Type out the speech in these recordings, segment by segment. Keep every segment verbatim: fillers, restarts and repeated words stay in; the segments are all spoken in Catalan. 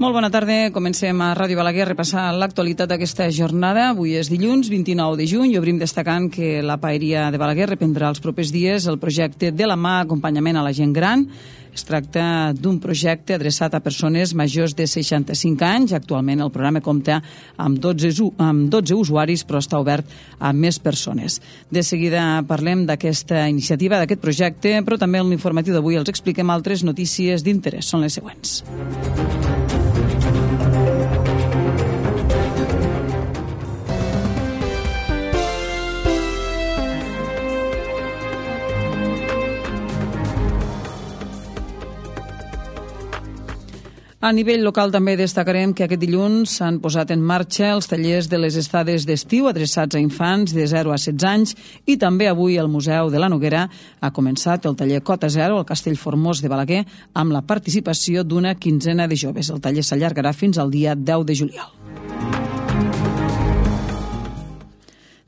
Molt bona tarda. Comencem a Ràdio Balaguer a repassar l'actualitat d'aquesta jornada. Avui és dilluns, vint-i-nou de juny, i obrim destacant que la Paeria de Balaguer reprendrà els propers dies el projecte De la mà, acompanyament a la gent gran. Es tracta d'un projecte adreçat a persones majors de seixanta-cinc anys. Actualment el programa compta amb dotze, amb dotze usuaris, però està obert a més persones. De seguida parlem d'aquesta iniciativa, d'aquest projecte, però també en l'informatiu d'avui els expliquem altres notícies d'interès. Són les següents. A nivell local també destacarem que aquest dilluns s'han posat en marxa els tallers de les estades d'estiu adreçats a infants de zero a setze anys i també avui el Museu de la Noguera ha començat el taller Cota Zero al Castell Formós de Balaguer amb la participació d'una quinzena de joves. El taller s'allargarà fins al dia deu de juliol.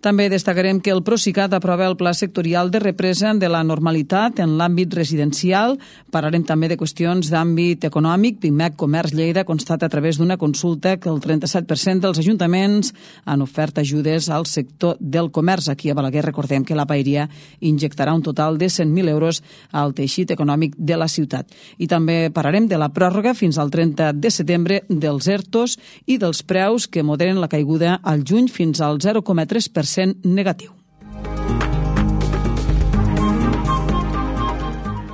També destacarem que el Procicat aprova el Pla Sectorial de Represa de la Normalitat en l'àmbit residencial. Parlarem també de qüestions d'àmbit econòmic. Pimec Comerç Lleida constata a través d'una consulta que el trenta-set per cent dels ajuntaments han ofert ajudes al sector del comerç. Aquí a Balaguer recordem que la Paeria injectarà un total de cent mil euros al teixit econòmic de la ciutat. I també parlarem de la pròrroga fins al trenta de setembre dels ERTOs i dels preus que moderen la caiguda al juny fins al zero coma tres per cent negatiu.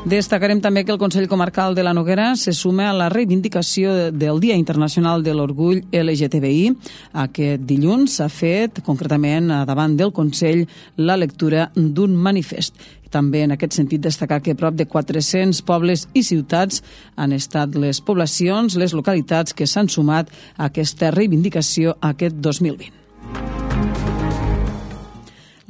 Destacarem també que el Consell Comarcal de la Noguera se suma a la reivindicació del Dia Internacional de l'Orgull L G T B I. Aquest dilluns s'ha fet, concretament davant del Consell, la lectura d'un manifest. També en aquest sentit destacar que prop de quatre-cents pobles i ciutats han estat les poblacions, les localitats que s'han sumat a aquesta reivindicació aquest dos mil vint.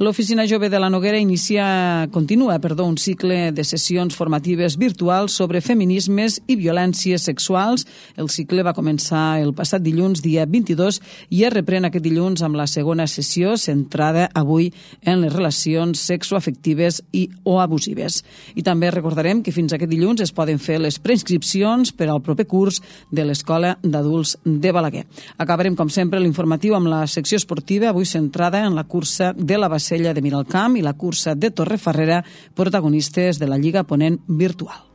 L'Oficina Jove de la Noguera inicia, continua perdó, un cicle de sessions formatives virtuals sobre feminismes i violències sexuals. El cicle va començar el passat dilluns, dia vint-i-dos, i es reprèn aquest dilluns amb la segona sessió, centrada avui en les relacions sexoafectives i o abusives. I també recordarem que fins aquest dilluns es poden fer les preinscripcions per al proper curs de l'Escola d'Adults de Balaguer. Acabarem, com sempre, l'informatiu amb la secció esportiva, avui centrada en la cursa de la Bacella de Miralcamp i la cursa de Torrefarrera, protagonistes de la Lliga Ponent virtual.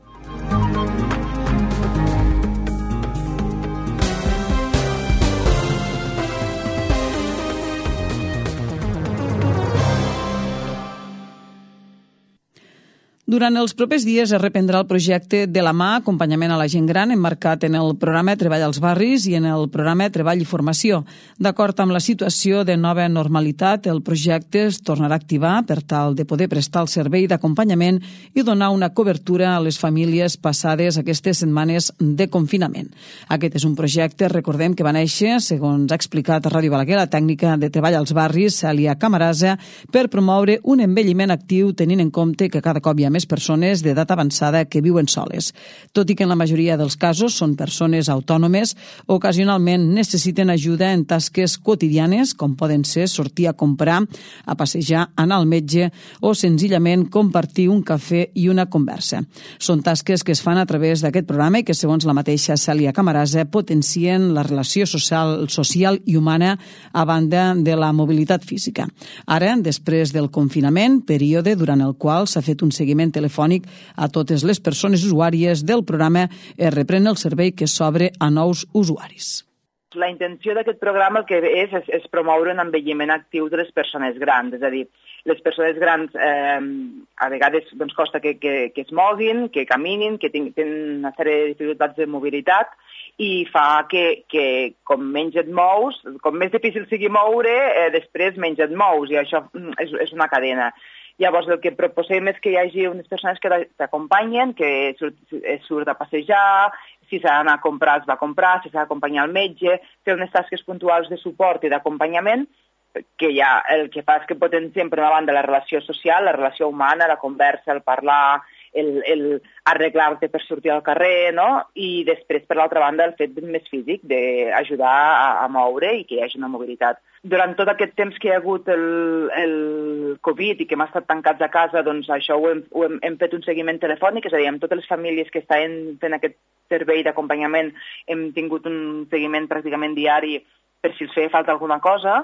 Durant els propers dies es reprendrà el projecte De la mà, acompanyament a la gent gran, emmarcat en el programa Treball als barris i en el programa Treball i formació. D'acord amb la situació de nova normalitat, el projecte es tornarà a activar per tal de poder prestar el servei d'acompanyament i donar una cobertura a les famílies passades aquestes setmanes de confinament. Aquest és un projecte, recordem, que va néixer, segons ha explicat a Ràdio Balaguer, la tècnica de Treball als barris, Cèlia Camarasa, per promoure un envelliment actiu tenint en compte que cada cop hi ha més persones d'edat avançada que viuen soles. Tot i que en la majoria dels casos són persones autònomes, ocasionalment necessiten ajuda en tasques quotidianes, com poden ser sortir a comprar, a passejar, anar al metge o senzillament compartir un cafè i una conversa. Són tasques que es fan a través d'aquest programa i que, segons la mateixa Cèlia Camarasa, potencien la relació social, social i humana a banda de la mobilitat física. Ara, després del confinament, període durant el qual s'ha fet un seguiment telefònic a totes les persones usuàries del programa, es reprèn el servei que s'obre a nous usuaris. La intenció d'aquest programa el que és, és, és promoure un envelliment actiu de les persones grans, és a dir, les persones grans eh, a vegades doncs, costa que, que, que es moguin, que caminin, que tenen una sèrie de dificultats de mobilitat i fa que, que com menys et mous, com més difícil sigui moure, eh, després menys et mous i això és, és una cadena. Llavors, el que proposem és que hi hagi unes persones que t'acompanyen, que surt, surt a passejar, si s'ha d'anar a comprar, es va a comprar, si s'ha d'acompanyar al metge, fer unes tasques puntuals de suport i d'acompanyament, que ja el que fa és que potenciem per una banda la relació social, la relació humana, la conversa, el parlar, el, el arreglar-te per sortir al carrer, no? I després, per l'altra banda, el fet més físic, d'ajudar a, a moure i que hi hagi una mobilitat. Durant tot aquest temps que hi ha hagut el, el Covid i que hem estat tancats a casa, doncs això ho hem, ho hem, hem fet un seguiment telefònic, és a dir, amb totes les famílies que estaven fent aquest servei d'acompanyament hem tingut un seguiment pràcticament diari per si els feia falta alguna cosa,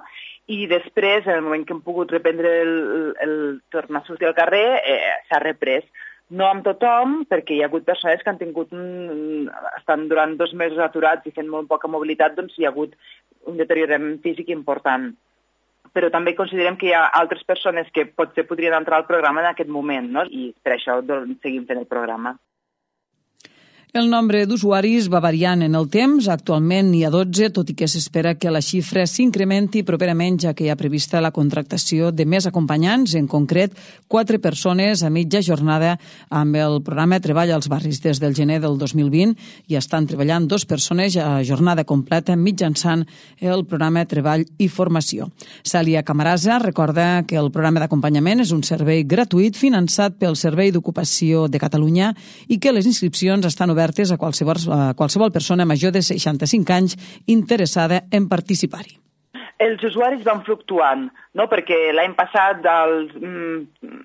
i després, en el moment que hem pogut reprendre el, el tornar a sortir al carrer, eh, s'ha reprès. No amb tothom, perquè hi ha hagut persones que han tingut un, estan durant dos mesos aturats i fent molt poca mobilitat, doncs hi ha hagut un deteriorament físic important. Però també considerem que hi ha altres persones que potser podrien entrar al programa en aquest moment, no? I per això doncs, seguim fent el programa. El nombre d'usuaris va variant en el temps. Actualment n'hi ha dotze, tot i que s'espera que la xifra s'incrementi properament, ja que hi ha prevista la contractació de més acompanyants, en concret, quatre persones a mitja jornada amb el programa Treball als Barris. Des del gener del dos mil vint hi estan treballant dos persones a jornada completa mitjançant el programa Treball i Formació. Cèlia Camarasa recorda que el programa d'acompanyament és un servei gratuït finançat pel Servei d'Ocupació de Catalunya i que les inscripcions estan obertes a qualsevol, a qualsevol persona major de seixanta-cinc anys interessada en participar-hi. Els usuaris van fluctuant, no? Perquè l'any passat, al,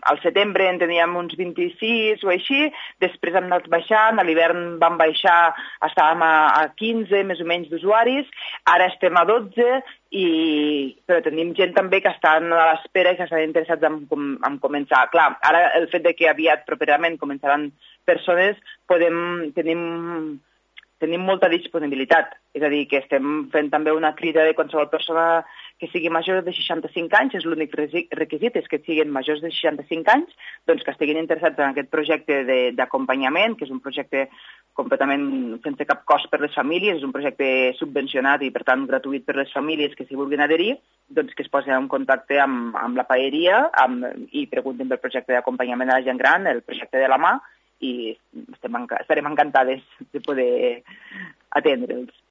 al setembre, en teníem uns vint-i-sis o així, després hem anat baixant, a l'hivern vam baixar, estàvem a, a quinze més o menys d'usuaris, ara estem a dotze, i, però tenim gent també que estan a l'espera i que estan interessats en, en començar. Clar, ara el fet de que aviat, properament, començaran persones, podem, tenim, tenim molta disponibilitat. És a dir, que estem fent també una crida de qualsevol persona que sigui major de seixanta-cinc anys, és l'únic requisit, és que siguin majors de seixanta-cinc anys, doncs que estiguin interessats en aquest projecte d'acompanyament, que és un projecte completament sense cap cost per les famílies, és un projecte subvencionat i, per tant, gratuït per les famílies que s'hi vulguin adherir, doncs que es posin en contacte amb, amb la paeria amb, i preguntin pel projecte d'acompanyament a la gent gran, el projecte de la mà, i estem, estarem encantades de poder atendre'ls.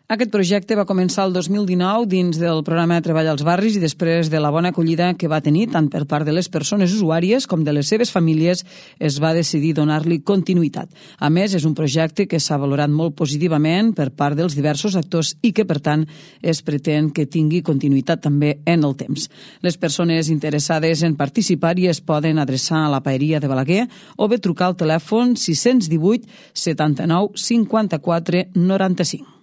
Aquest projecte va començar el dos mil dinou dins del programa Treball als Barris i després de la bona acollida que va tenir tant per part de les persones usuàries com de les seves famílies es va decidir donar-li continuïtat. A més, és un projecte que s'ha valorat molt positivament per part dels diversos actors i que, per tant, es pretén que tingui continuïtat també en el temps. Les persones interessades en participar-hi es poden adreçar a la paeria de Balaguer o bé trucar al telèfon sis cents divuit setanta-nou cinquanta-quatre noranta-cinc.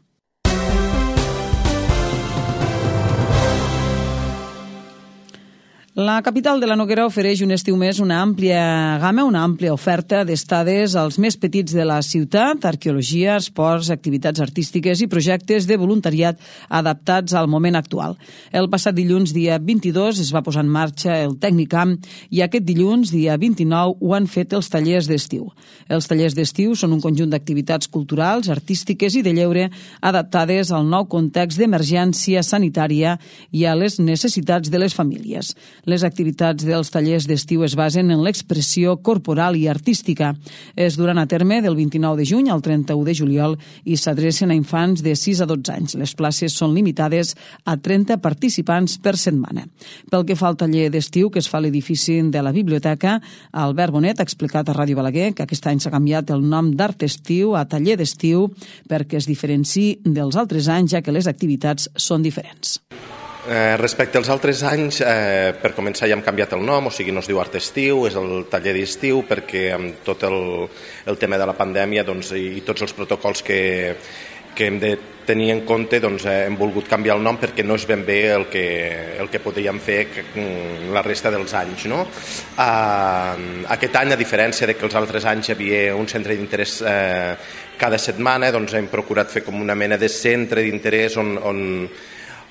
La capital de la Noguera ofereix un estiu més una àmplia gamma, una àmplia oferta d'estades als més petits de la ciutat, arqueologia, esports, activitats artístiques i projectes de voluntariat adaptats al moment actual. El passat dilluns, dia vint-i-dos, es va posar en marxa el Tecnicamp i aquest dilluns, dia vint-i-nou, ho han fet els tallers d'estiu. Els tallers d'estiu són un conjunt d'activitats culturals, artístiques i de lleure adaptades al nou context d'emergència sanitària i a les necessitats de les famílies. Les activitats dels tallers d'estiu es basen en l'expressió corporal i artística. Es duran a terme del vint-i-nou de juny al trenta-u de juliol i s'adrecen a infants de sis a dotze anys. Les places són limitades a trenta participants per setmana. Pel que fa al taller d'estiu que es fa a l'edifici de la biblioteca, Albert Bonet ha explicat a Ràdio Balaguer que aquest any s'ha canviat el nom d'Art Estiu a Taller d'Estiu perquè es diferenciï dels altres anys, ja que les activitats són diferents. Eh, respecte als altres anys, eh, per començar ja hem canviat el nom, o sigui, no es diu Art Estiu, és el taller d'estiu, perquè amb tot el, el tema de la pandèmia doncs, i, i tots els protocols que, que hem de tenir en compte, doncs, eh, hem volgut canviar el nom perquè no és ben bé el que, el que podríem fer que, la resta dels anys. No? Eh, aquest any, a diferència de que els altres anys hi havia un centre d'interès eh, cada setmana, doncs hem procurat fer com una mena de centre d'interès on, on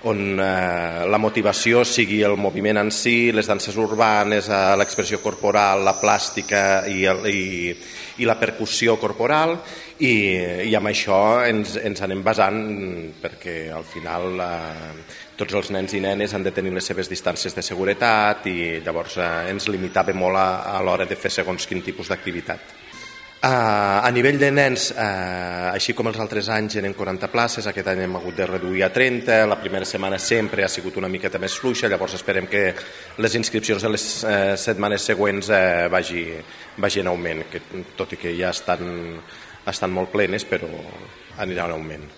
on eh, la motivació sigui el moviment en si, les danses urbanes, eh, l'expressió corporal, la plàstica i, el, i, i la percussió corporal, i, i amb això ens, ens anem basant perquè al final eh, tots els nens i nenes han de tenir les seves distàncies de seguretat i llavors eh, ens limitava molt a, a l'hora de fer segons quin tipus d'activitat. Uh, a nivell de nens, uh, així com els altres anys eren quaranta places, aquest any hem hagut de reduir a trenta, la primera setmana sempre ha sigut una miqueta més fluixa, llavors esperem que les inscripcions de les uh, setmanes següents uh, vagi, vagi en augment, que, tot i que ja estan, estan molt plenes, però anirà en augment.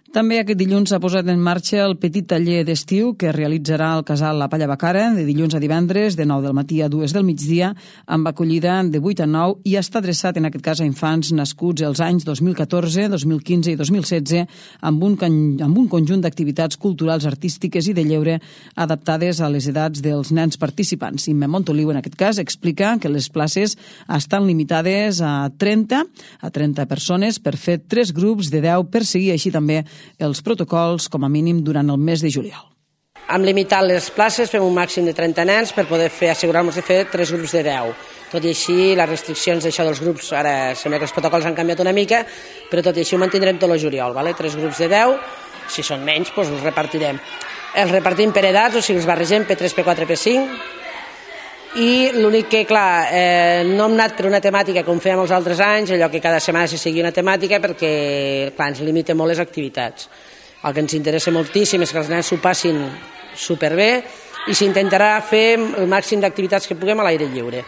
També aquest dilluns s'ha posat en marxa el petit taller d'estiu que realitzarà el casal La Palla Bacara de dilluns a divendres de nou del matí a dues del migdia amb acollida de vuit a nou i està adreçat en aquest cas a infants nascuts els anys dos mil catorze, dos mil quinze i dos mil setze amb un, amb un conjunt d'activitats culturals, artístiques i de lleure adaptades a les edats dels nens participants. Imme Montoliu en aquest cas explica que les places estan limitades a trenta, a trenta persones per fer tres grups de deu per seguir així també els protocols com a mínim durant el mes de juliol. Hem limitat les places, fem un màxim de trenta nens per poder fer, assegurar-nos de fer tres grups de deu. Tot i així, les restriccions d'això dels grups, ara sembla que els protocols han canviat una mica, però tot i així ho mantindrem tot el juliol, vale? Tres grups de deu, si són menys, doncs els repartirem. Els repartim per edats, o sigui, els barregem P tres, P quatre, P cinc, i l'únic que, clar, eh, no hem anat per una temàtica com fèiem els altres anys, allò que cada setmana se segui una temàtica perquè, clar, ens limita molt les activitats. El que ens interessa moltíssim és que els nens s'ho passin superbé i s'intentarà fer el màxim d'activitats que puguem a l'aire lliure.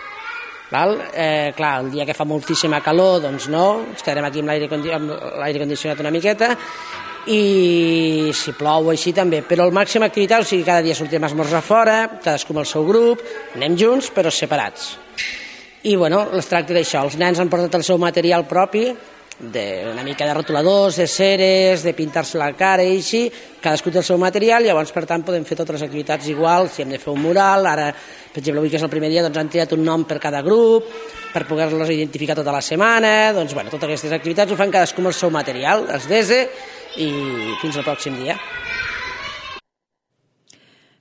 Val? Eh, clar, el dia que fa moltíssima calor, doncs no, ens quedarem aquí amb l'aire condicionat una miqueta, i si plou així també, però el màxim d'activitat, o sigui, cada dia sortim a esmorzar fora, cadascú amb el seu grup, anem junts però separats. I bueno, es tracta d'això, els nens han portat el seu material propi, de, una mica de rotuladors, de ceres, de pintar-se la cara i així, cadascú té el seu material, llavors per tant podem fer totes les activitats igual, si hem de fer un mural, ara per exemple avui que és el primer dia doncs han triat un nom per cada grup, per poder-los identificar tota la setmana, doncs bueno, totes aquestes activitats ho fan cadascú amb el seu material, els dese, i fins al pròxim dia.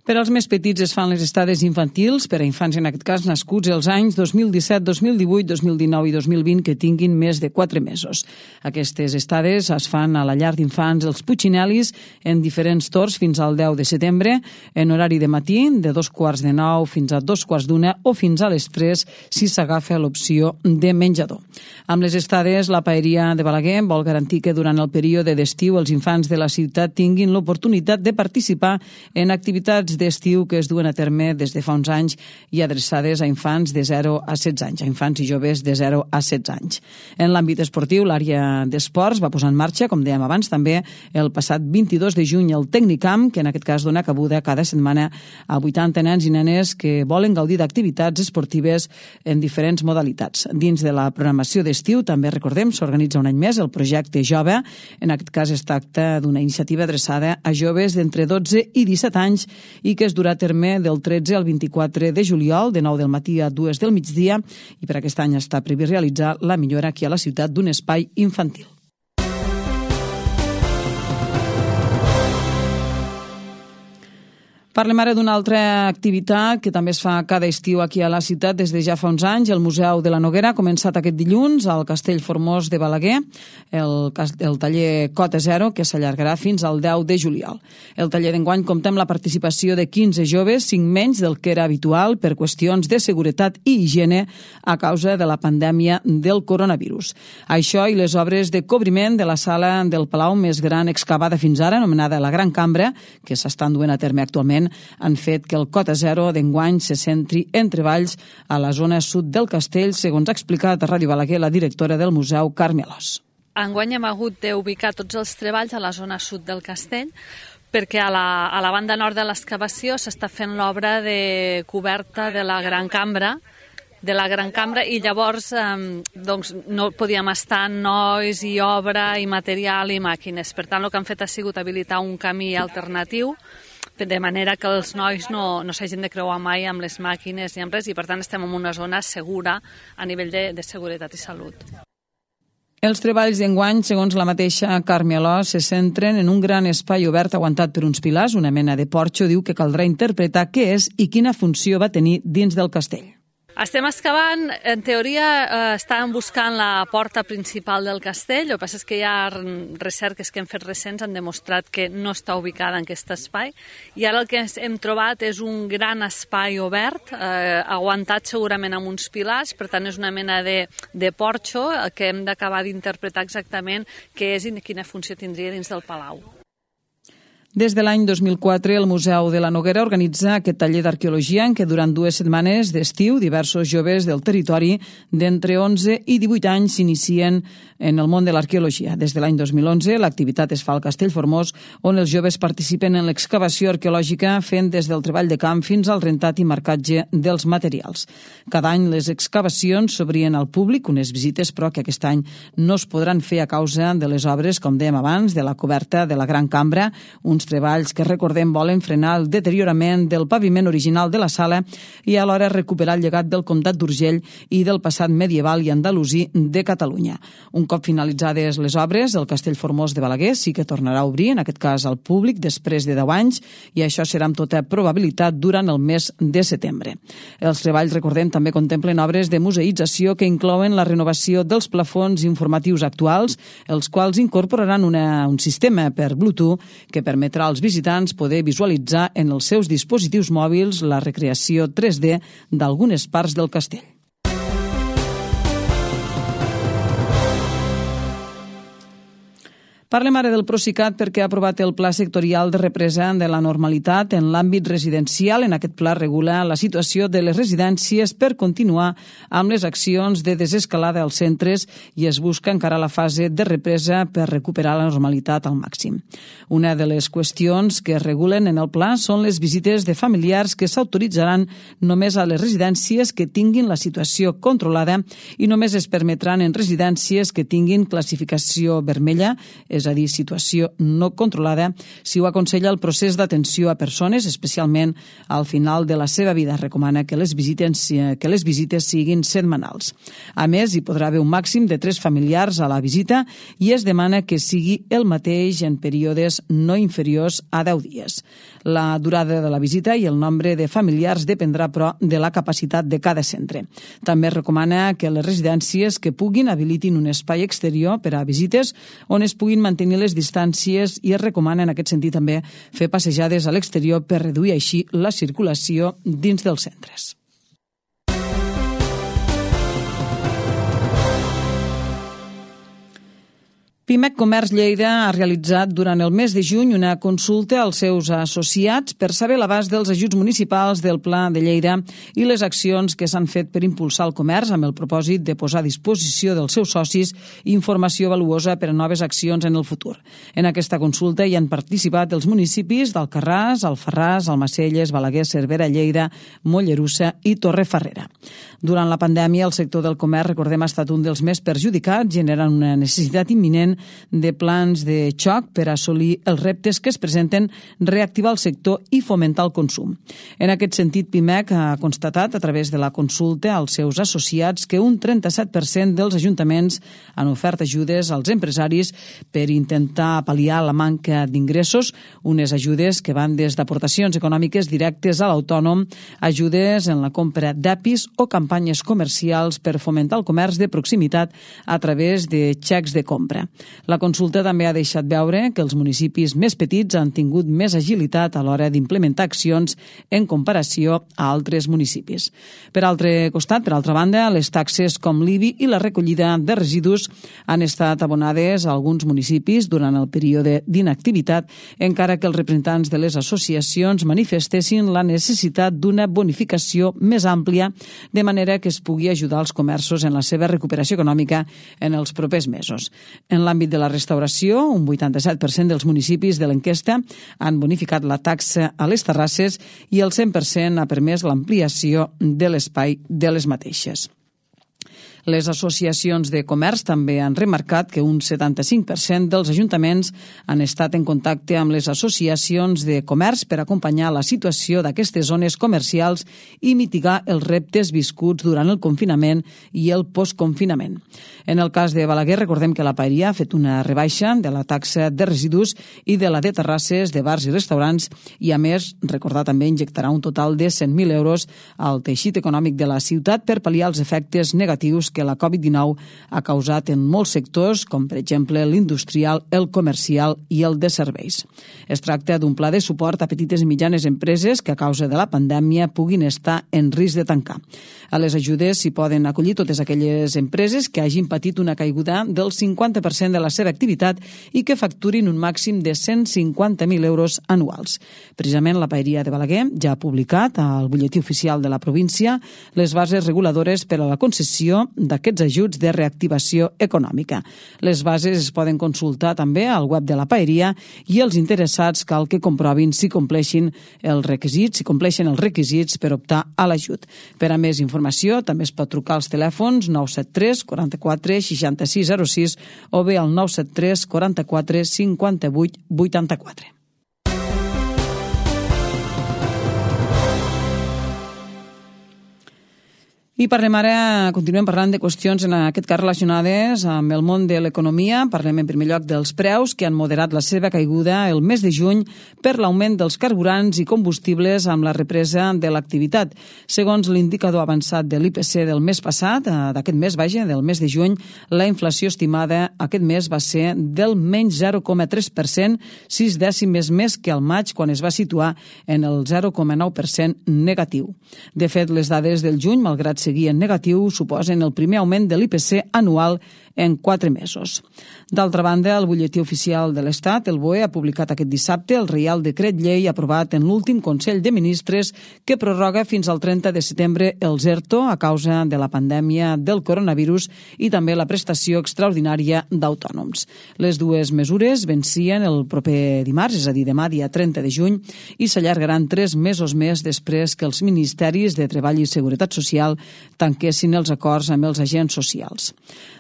Per als més petits es fan les estades infantils, per a infants en aquest cas nascuts els anys dos mil disset, dos mil divuit, dos mil dinou i dos mil vint que tinguin més de quatre mesos. Aquestes estades es fan a la llar d'infants Els Puccinelis en diferents torns fins al deu de setembre, en horari de matí, de dos quarts de nou fins a dos quarts d'una o fins a les tres si s'agafa l'opció de menjador. Amb les estades, la Paeria de Balaguer vol garantir que durant el període d'estiu els infants de la ciutat tinguin l'oportunitat de participar en activitats d'estiu que es duen a terme des de fa uns anys i adreçades a infants de zero a setze anys, a infants i joves de zero a setze anys. En l'àmbit esportiu, l'àrea d'esports va posar en marxa, com dèiem abans, també el passat vint-i-dos de juny el Tecnicamp, que en aquest cas dona cabuda cada setmana a vuitanta nens i nenes que volen gaudir d'activitats esportives en diferents modalitats. Dins de la programació d'estiu, també recordem, s'organitza un any més el projecte Jove. En aquest cas es tracta d'una iniciativa adreçada a joves d'entre dotze i disset anys i que es durà a terme del tretze al vint-i-quatre de juliol, de nou del matí a dues del migdia, i per aquest any està previst realitzar la millora aquí a la ciutat d'un espai infantil. Parlem ara d'una altra activitat que també es fa cada estiu aquí a la ciutat des de ja fa uns anys. El Museu de la Noguera ha començat aquest dilluns al Castell Formós de Balaguer, el, el taller Cota Zero, que s'allargarà fins al deu de juliol. El taller d'enguany compta amb la participació de quinze joves, cinc menys del que era habitual per qüestions de seguretat i higiene a causa de la pandèmia del coronavirus. Això i les obres de cobriment de la sala del Palau més gran excavada fins ara, anomenada la Gran Cambra, que s'estan duent a terme actualment, han fet que el Cota Zero d'enguany se centri en treballs a la zona sud del castell, segons ha explicat a Ràdio Balaguer la directora del museu, Carme Alòs. Enguany hem hagut d'ubicar tots els treballs a la zona sud del castell, perquè a la, a la banda nord de l'excavació s'està fent l'obra de coberta de la Gran Cambra, de la Gran Cambra i llavors eh, doncs, no podíem estar nois i obra i material i màquines. Per tant, el que han fet ha sigut habilitar un camí alternatiu de manera que els nois no, no s'hagin de creuar mai amb les màquines ni amb res i per tant estem en una zona segura a nivell de, de seguretat i salut. Els treballs d'enguany, segons la mateixa Carme Alòs, se centren en un gran espai obert aguantat per uns pilars, una mena de porxo. Diu que caldrà interpretar què és i quina funció va tenir dins del castell. Estem excavant, en teoria eh, estàvem buscant la porta principal del castell, el que passa és que hi ha recerques que hem fet recents han demostrat que no està ubicada en aquest espai, i ara el que hem trobat és un gran espai obert, eh, aguantat segurament amb uns pilars, per tant és una mena de, de porxo que hem d'acabar d'interpretar exactament què és i quina funció tindria dins del palau. Des de l'any dos mil quatre, el Museu de la Noguera organitza aquest taller d'arqueologia en què durant dues setmanes d'estiu diversos joves del territori d'entre onze i divuit anys s'inicien en el món de l'arqueologia. Des de l'any dos mil onze, l'activitat es fa al Castell Formós, on els joves participen en l'excavació arqueològica fent des del treball de camp fins al rentat i marcatge dels materials. Cada any les excavacions s'obrien al públic, unes visites però que aquest any no es podran fer a causa de les obres, com dèiem abans, de la coberta de la Gran Cambra, uns treballs que, recordem, volen frenar el deteriorament del paviment original de la sala i alhora recuperar el llegat del comtat d'Urgell i del passat medieval i andalusí de Catalunya. Un cop finalitzades les obres, el Castell Formós de Balaguer sí que tornarà a obrir, en aquest cas al públic, després de deu anys, i això serà amb tota probabilitat durant el mes de setembre. Els treballs, recordem, també contemplen obres de museïtzació que inclouen la renovació dels plafons informatius actuals, els quals incorporaran una, un sistema per Bluetooth que permetrà als visitants poder visualitzar en els seus dispositius mòbils la recreació tres D d'algunes parts del castell. Parlem ara del Procicat perquè ha aprovat el Pla Sectorial de Represa de la Normalitat en l'àmbit residencial. En aquest pla regula la situació de les residències per continuar amb les accions de desescalada als centres i es busca encara la fase de represa per recuperar la normalitat al màxim. Una de les qüestions que es regulen en el pla són les visites de familiars que s'autoritzaran només a les residències que tinguin la situació controlada i només es permetran en residències que tinguin classificació vermella, és a dir, situació no controlada, si ho aconsella el procés d'atenció a persones, especialment al final de la seva vida. Recomana que les visites, que les visites siguin setmanals. A més, hi podrà haver un màxim de tres familiars a la visita i es demana que sigui el mateix en períodes no inferiors a deu dies. La durada de la visita i el nombre de familiars dependrà, però, de la capacitat de cada centre. També recomana que les residències que puguin habilitin un espai exterior per a visites on es puguin mantenir les distàncies i es recomana en aquest sentit també fer passejades a l'exterior per reduir així la circulació dins dels centres. Pimec Comerç Lleida ha realitzat durant el mes de juny una consulta als seus associats per saber l'abast dels ajuts municipals del Pla de Lleida i les accions que s'han fet per impulsar el comerç amb el propòsit de posar a disposició dels seus socis informació valuosa per a noves accions en el futur. En aquesta consulta hi han participat els municipis d'Alcarràs, Alfarràs, Almacelles, Balaguer, Cervera, Lleida, Mollerussa i Torrefarrera. Durant la pandèmia, el sector del comerç, recordem, ha estat un dels més perjudicats, generant una necessitat imminent de plans de xoc per assolir els reptes que es presenten, reactivar el sector i fomentar el consum. En aquest sentit, Pimec ha constatat a través de la consulta als seus associats que un trenta-set per cent dels ajuntaments han ofert ajudes als empresaris per intentar pal·liar la manca d'ingressos, unes ajudes que van des d'aportacions econòmiques directes a l'autònom, ajudes en la compra d'apis o campanyes comercials per fomentar el comerç de proximitat a través de xecs de compra. La consulta també ha deixat veure que els municipis més petits han tingut més agilitat a l'hora d'implementar accions en comparació a altres municipis. Per altre costat, per altra banda, les taxes com l'I B I i la recollida de residus han estat abonades a alguns municipis durant el període d'inactivitat, encara que els representants de les associacions manifestessin la necessitat d'una bonificació més àmplia, de manera que es pugui ajudar els comerços en la seva recuperació econòmica en els propers mesos. En l'àmbit de la restauració, un vuitanta-set per cent dels municipis de l'enquesta han bonificat la taxa a les terrasses i el cent per cent ha permès l'ampliació de l'espai de les mateixes. Les associacions de comerç també han remarcat que un setanta-cinc per cent dels ajuntaments han estat en contacte amb les associacions de comerç per acompanyar la situació d'aquestes zones comercials i mitigar els reptes viscuts durant el confinament i el postconfinament. En el cas de Balaguer, recordem que la Paeria ha fet una rebaixa de la taxa de residus i de la de terrasses de bars i restaurants i, a més, recordar també injectarà un total de cent mil euros al teixit econòmic de la ciutat per pal·liar els efectes negatius que la covid dinou ha causat en molts sectors, com per exemple l'industrial, el comercial i el de serveis. Es tracta d'un pla de suport a petites i mitjanes empreses que a causa de la pandèmia puguin estar en risc de tancar. A les ajudes s'hi poden acollir totes aquelles empreses que hagin patit una caiguda del cinquanta per cent de la seva activitat i que facturin un màxim de cent cinquanta mil euros anuals. Precisament la Paeria de Balaguer ja ha publicat al butlletí oficial de la província les bases reguladores per a la concessió d'aquests ajuts de reactivació econòmica. Les bases es poden consultar també al web de la Paeria i els interessats cal que comprovin si compleixin els requisits, si compleixen els requisits per optar a l'ajut. Per a més informació també es pot trucar als telèfons nou set tres quaranta-quatre seixanta-sis zero sis o bé al nou set tres quaranta-quatre cinquanta-vuit vuitanta-quatre. I parlem ara, continuem parlant de qüestions en aquest cas relacionades amb el món de l'economia. Parlem en primer lloc dels preus que han moderat la seva caiguda el mes de juny per l'augment dels carburants i combustibles amb la represa de l'activitat. Segons l'indicador avançat de l'I P C del mes passat, d'aquest mes, vaja, del mes de juny, la inflació estimada aquest mes va ser del menys zero coma tres per cent, sis dècimes més que al maig, quan es va situar en el zero coma nou per cent negatiu. De fet, les dades del juny, malgrat ser seguir en negatiu, suposen el primer augment de l'I P C anual en quatre mesos. D'altra banda, el butlletí oficial de l'Estat, el B O E, ha publicat aquest dissabte el Reial Decret Llei aprovat en l'últim Consell de Ministres que prorroga fins al trenta de setembre els ERTO a causa de la pandèmia del coronavirus i també la prestació extraordinària d'autònoms. Les dues mesures vencien el proper dimarts, és a dir, demà, dia trenta de juny, i s'allargaran tres mesos més després que els Ministeris de Treball i Seguretat Social tanquessin els acords amb els agents socials.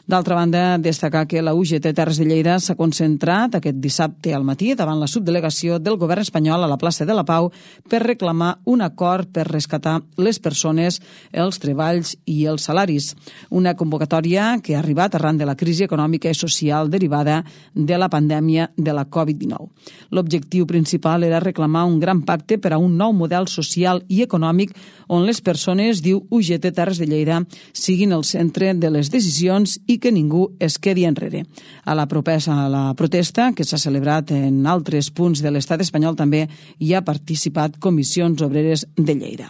D'altra banda, destacar que la U G T Terres de Lleida s'ha concentrat aquest dissabte al matí davant la subdelegació del govern espanyol a la plaça de la Pau per reclamar un acord per rescatar les persones, els treballs i els salaris. Una convocatòria que ha arribat arran de la crisi econòmica i social derivada de la pandèmia de la covid dinou. L'objectiu principal era reclamar un gran pacte per a un nou model social i econòmic on les persones, diu U G T Terres de Lleida, siguin el centre de les decisions i que ningú es quedi enrere. A la propesa a la protesta, que s'ha celebrat en altres punts de l'estat espanyol, també hi ha participat Comissions Obreres de Lleida.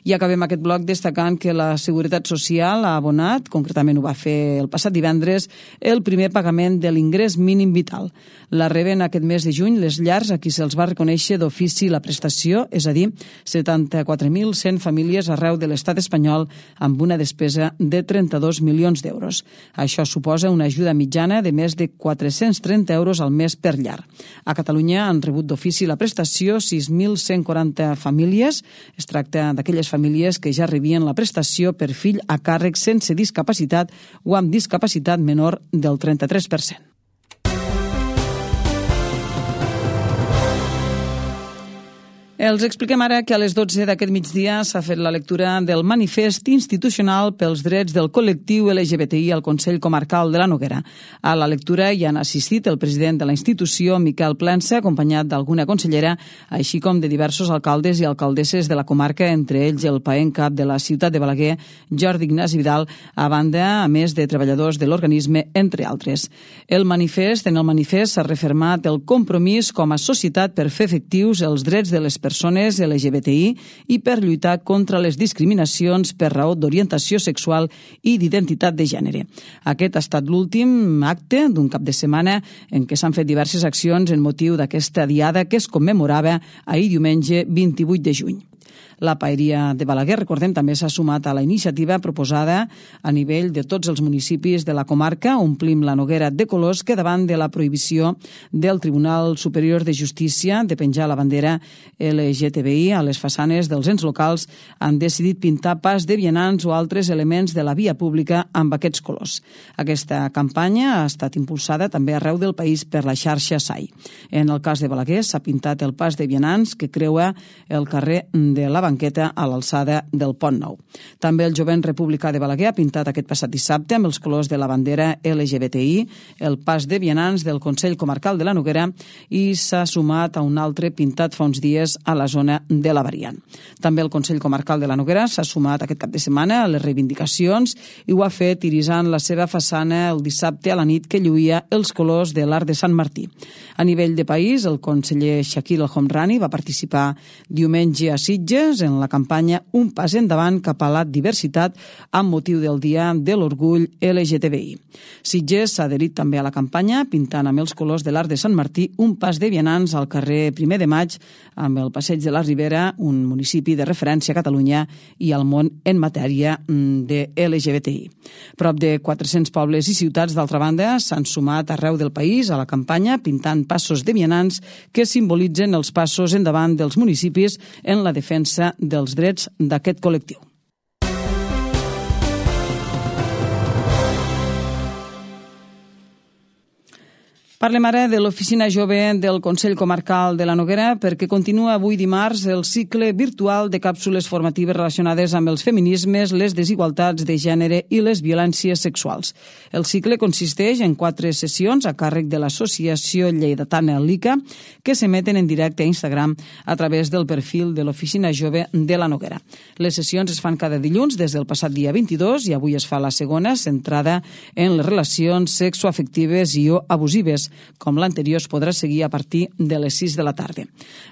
I acabem aquest bloc destacant que la Seguretat Social ha abonat, concretament ho va fer el passat divendres, el primer pagament de l'ingrés mínim vital. La reben aquest mes de juny les llars a qui se'ls va reconèixer d'ofici la prestació, és a dir, setanta-quatre mil cent famílies arreu de l'estat espanyol amb una despesa de trenta-dos milions d'euros. Això suposa una ajuda mitjana de més de quatre-cents trenta euros al mes per llar. A Catalunya han rebut d'ofici la prestació sis mil cent quaranta famílies. Es tracta d'aquelles famílies que ja rebien la prestació per fill a càrrec sense discapacitat o amb discapacitat menor del trenta-tres per cent. Els expliquem ara que a les dotze d'aquest migdia s'ha fet la lectura del manifest institucional pels drets del col·lectiu L G B T I al Consell Comarcal de la Noguera. A la lectura hi han assistit el president de la institució, Miquel Plensa, acompanyat d'alguna consellera, així com de diversos alcaldes i alcaldesses de la comarca, entre ells el paent cap de la ciutat de Balaguer, Jordi Ignasi Vidal, a banda, a més de treballadors de l'organisme, entre altres. El manifest, en el manifest s'ha refermat el compromís com a societat per fer efectius els drets de les persones persones L G B T I i per lluitar contra les discriminacions per raó d'orientació sexual i d'identitat de gènere. Aquest ha estat l'últim acte d'un cap de setmana en què s'han fet diverses accions en motiu d'aquesta diada que es commemorava ahir diumenge vint-i-vuit de juny. La Paeria de Balaguer, recordem, també s'ha sumat a la iniciativa proposada a nivell de tots els municipis de la comarca. Omplim la Noguera de colors que davant de la prohibició del Tribunal Superior de Justícia de penjar la bandera L G T B I a les façanes dels ens locals han decidit pintar pas de vianants o altres elements de la via pública amb aquests colors. Aquesta campanya ha estat impulsada també arreu del país per la xarxa S A I. En el cas de Balaguer s'ha pintat el pas de vianants que creua el carrer de la Banqueta a l'alçada del Pont Nou. També el Jovent Republicà de Balaguer ha pintat aquest passat dissabte amb els colors de la bandera L G B T I el pas de vianants del Consell Comarcal de la Noguera i s'ha sumat a un altre pintat fa uns dies a la zona de la Variant. També el Consell Comarcal de la Noguera s'ha sumat aquest cap de setmana a les reivindicacions i ho ha fet irisant la seva façana el dissabte a la nit que lluïa els colors de l'Arc de Sant Martí. A nivell de país, el conseller Shakil El Homrani va participar diumenge a Sitges en la campanya Un pas endavant cap a la diversitat amb motiu del Dia de l'Orgull L G T B I. Sitges s'ha adherit també a la campanya pintant amb els colors de l'Arc de Sant Martí un pas de vianants al carrer primer de maig amb el Passeig de la Ribera, un municipi de referència a Catalunya i al món en matèria de L G B T I. Prop de quatre-cents pobles i ciutats, d'altra banda, s'han sumat arreu del país a la campanya pintant passos de vianants que simbolitzen els passos endavant dels municipis en la defensa dels drets d'aquest col·lectiu. Parlem ara de l'Oficina Jove del Consell Comarcal de la Noguera perquè continua avui dimarts el cicle virtual de càpsules formatives relacionades amb els feminismes, les desigualtats de gènere i les violències sexuals. El cicle consisteix en quatre sessions a càrrec de l'Associació Lleidatana Lica que s'emeten en directe a Instagram a través del perfil de l'Oficina Jove de la Noguera. Les sessions es fan cada dilluns des del passat dia vint-i-dos i avui es fa la segona, centrada en les relacions sexoafectives i o abusives. Com l'anterior, es podrà seguir a partir de les sis de la tarda.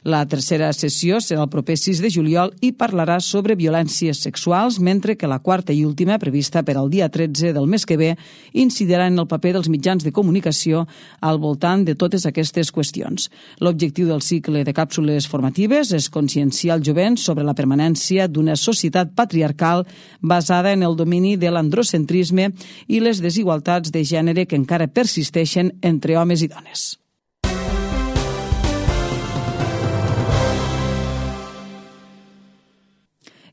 La tercera sessió serà el proper sis de juliol i parlarà sobre violències sexuals, mentre que la quarta i última, prevista per al dia tretze del mes que ve, incidirà en el paper dels mitjans de comunicació al voltant de totes aquestes qüestions. L'objectiu del cicle de càpsules formatives és conscienciar el jovent sobre la permanència d'una societat patriarcal basada en el domini de l'androcentrisme i les desigualtats de gènere que encara persisteixen entre homes homes i dones.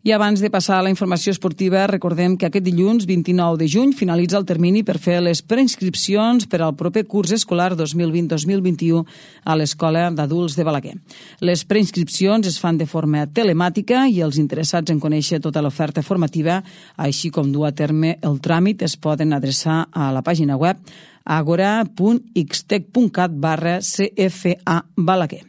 I abans de passar a la informació esportiva, recordem que aquest dilluns vint-i-nou de juny finalitza el termini per fer les preinscripcions per al proper curs escolar dos mil vint dos mil vint-i-u a l'Escola d'Adults de Balaguer. Les preinscripcions es fan de forma telemàtica i els interessats en conèixer tota l'oferta formativa, així com dur a terme el tràmit, es poden adreçar a la pàgina web agora punt ixtec punt cat barra C F A Balaguer.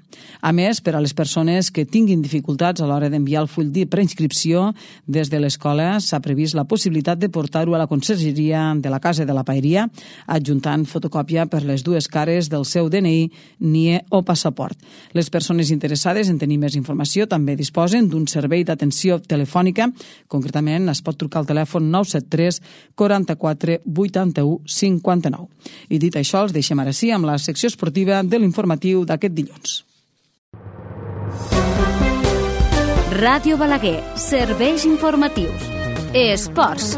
A més, per a les persones que tinguin dificultats a l'hora d'enviar el full de preinscripció, des de l'escola s'ha previst la possibilitat de portar-ho a la consergeria de la Casa de la Paeria, adjuntant fotocòpia per les dues cares del seu D N I, N I E o passaport. Les persones interessades en tenir més informació també disposen d'un servei d'atenció telefònica. Concretament, es pot trucar al telèfon nou set tres quaranta-quatre vuitanta-u cinquanta-nou. I dit això, els deixem ara sí amb la secció esportiva de l'informatiu d'aquest dilluns. Ràdio Balaguer, serveis informatius. Esports.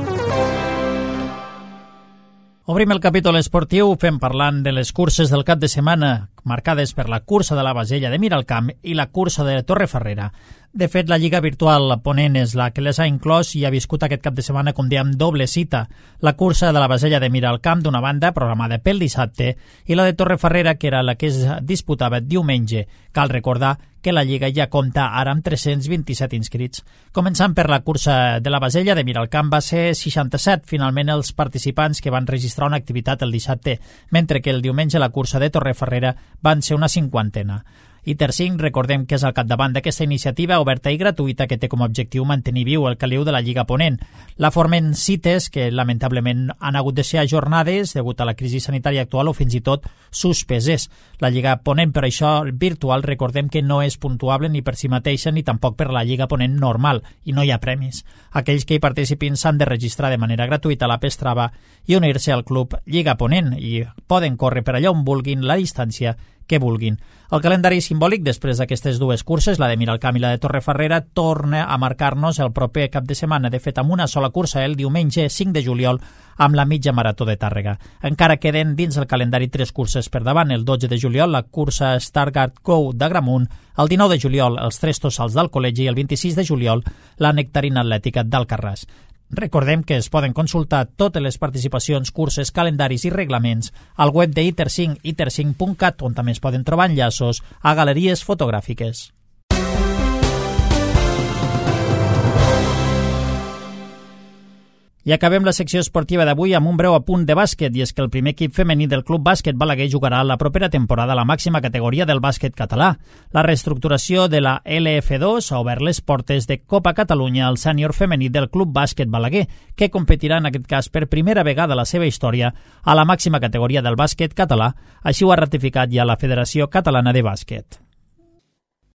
Obrim el capítol esportiu fent parlant de les curses del cap de setmana, marcades per la cursa de la Basella de Miralcamp i la cursa de Torrefarrera. De fet, la Lliga Virtual Ponent és la que les ha inclòs i ha viscut aquest cap de setmana, com dèiem, doble cita. La cursa de la Basella de Miralcamp, d'una banda, programada pel dissabte, i la de Torrefarrera, que era la que es disputava diumenge. Cal recordar que la Lliga ja compta ara amb tres-cents vint-i-set inscrits. Començant per la cursa de la Basella de Miralcamp, va ser seixanta-set, finalment, els participants que van registrar una activitat el dissabte, mentre que el diumenge la cursa de Torrefarrera van ser una cinquantena. I Tercinc, recordem que és al capdavant d'aquesta iniciativa oberta i gratuïta que té com a objectiu mantenir viu el caliu de la Lliga Ponent. La formen cites que lamentablement han hagut de ser ajornades degut a la crisi sanitària actual o fins i tot suspeses. La Lliga Ponent, per això, virtual, recordem que no és puntuable ni per si mateixa ni tampoc per la Lliga Ponent normal i no hi ha premis. Aquells que hi participin s'han de registrar de manera gratuïta a la Pestrava i unir-se al club Lliga Ponent i poden córrer per allà on vulguin la distància que vulguin. El calendari simbòlic, després d'aquestes dues curses, la de Miralcamp i la de Torrefarrera, torna a marcar-nos el proper cap de setmana, de fet amb una sola cursa el diumenge cinc de juliol amb la mitja marató de Tàrrega. Encara queden dins el calendari tres curses per davant, el dotze de juliol la cursa Stargardt Go d'Agramunt, el dinou de juliol els tres tossals del Col·legi i el vint-i-sis de juliol la nectarina atlètica d'Alcarràs. Recordem que es poden consultar totes les participacions, curses, calendaris i reglaments al web de iter cinc, iter cinc punt cat, on també es poden trobar enllaços a galeries fotogràfiques. I acabem la secció esportiva d'avui amb un breu apunt de bàsquet, i és que el primer equip femení del Club Bàsquet Balaguer jugarà la propera temporada a la màxima categoria del bàsquet català. La reestructuració de la L F dos ha obert les portes de Copa Catalunya al sènior femení del Club Bàsquet Balaguer, que competirà en aquest cas per primera vegada a la seva història a la màxima categoria del bàsquet català. Així ho ha ratificat ja la Federació Catalana de Bàsquet.